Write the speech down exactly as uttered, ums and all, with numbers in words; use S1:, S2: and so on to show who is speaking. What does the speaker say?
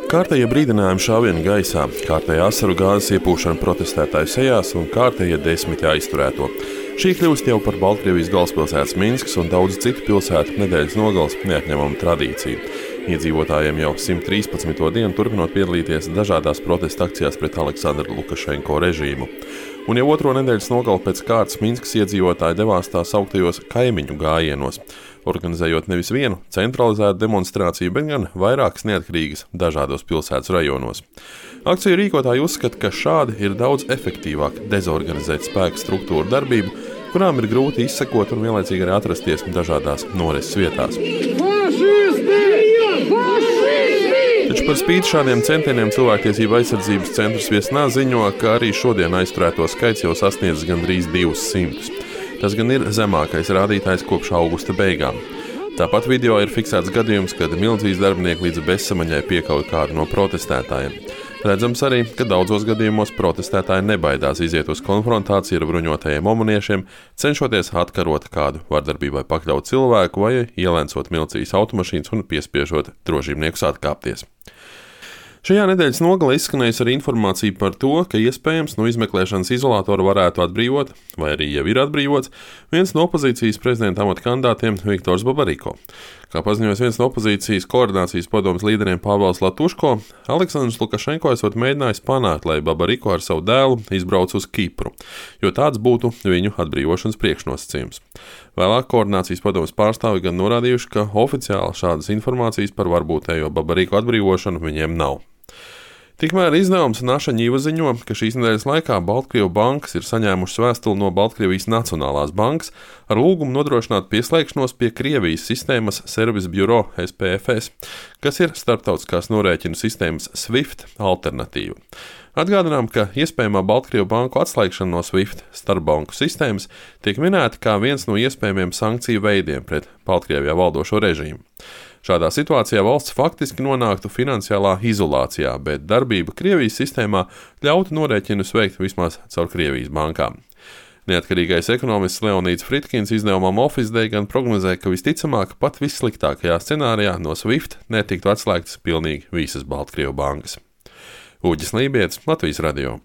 S1: Kārtējie brīdinājumi šāvieni gaisā, kārtējā asaru gāzes iepūšana protestētāju sejās un kārtējie desmiti aizturēto. Šī kļūst jau par Baltkrievijas galvaspilsētas Minskas un daudzu citu pilsētu nedēļas nogales neatņemamu tradīciju. Iedzīvotājiem jau simt trīspadsmito dienu turpinot piedalīties dažādās protesta akcijās pret Aleksandra Lukašenko režīmu. Un jau otro nedēļas nogali pēc kārtas Minskas iedzīvotāji devās tā sauktajos kaimiņu gājienos, organizējot nevis vienu centralizētu demonstrāciju, bet gan vairākas neatkarīgas dažādos pilsētas rajonos. Akciju rīkotāji uzskata, ka šādi ir daudz efektīvāk dezorganizēt spēku struktūru darbību, kurām ir grūti izsekot un vienlaicīgi arī atrasties dažādās norises vietās. Taču par spīti šādiem centieniem Cilvēktiesību aizsardzības centrs Viesnā ziņo, ka arī šodien aizturēto skaits jau sasniedz gandrīz divus simtus. Tas gan ir zemākais rādītājs kopš augusta beigām. Tāpat video ir fiksēts gadījums, kad milicijas darbinieki līdz bezsamaņai piekauj kādu no protestētājiem. Redzams arī, ka daudzos gadījumos protestētāji nebaidās iziet uz konfrontāciju ar bruņotajiem omaniešiem, cenšoties atkarot kādu vardarbībai pakļautu cilvēku vai ielēncot milicijas automašīnas un piespiežot drošībniekus atkāpties. Šajā nedēļas nogalē izskanējusi arī informācija par to, ka iespējams no izmeklēšanas izolātora varētu atbrīvot, vai arī jau ir atbrīvots, viens no opozīcijas prezidenta amata kandidātiem Viktors Babariko. Kā paziņojas viens no opozīcijas koordinācijas padomes līderiem Pāvils Latuško, Aleksandrs Lukašenko esot mēģinājis panākt, lai Babariko ar savu dēlu izbrauc uz Kipru, jo tāds būtu viņu atbrīvošanas priekšnosacījums. Vēlāk koordinācijas padomes pārstāvi gan norādījuši, ka oficiāli šādas informācijas par varbūtējo Babariko atbrīvošanu viņiem nav. Tikmēr izdevums Naša Ņiva ziņo, ka šīs nedēļas laikā Baltkrievu bankas ir saņēmušas vēstuli no Baltkrievijas Nacionālās bankas ar lūgumu nodrošināt pieslēgšanos pie Krievijas sistēmas Service Bureau S P F S, kas ir starptautiskās norēķinu sistēmas SWIFT alternatīva. Atgādinām, ka iespējamā Baltkrievu banku atslēgšana no SWIFT starpbanku sistēmas tiek minēta kā viens no iespējamiem sankciju veidiem pret Baltkrievijā valdošo režīmu. Šādā situācijā valsts faktiski nonāktu finansiālā izolācijā, bet darbība Krievijas sistēmā ļautu norēķinus veikt vismaz caur Krievijas bankām. Neatkarīgais ekonomists Leonīds Fritkins izdevumam Office Day gan prognozē, ka visticamāk pat vissliktākajā scenārijā no SWIFT netiktu atslēgtas pilnīgi visas Baltkrievu bankas. Uģis Lībietis, Latvijas radio.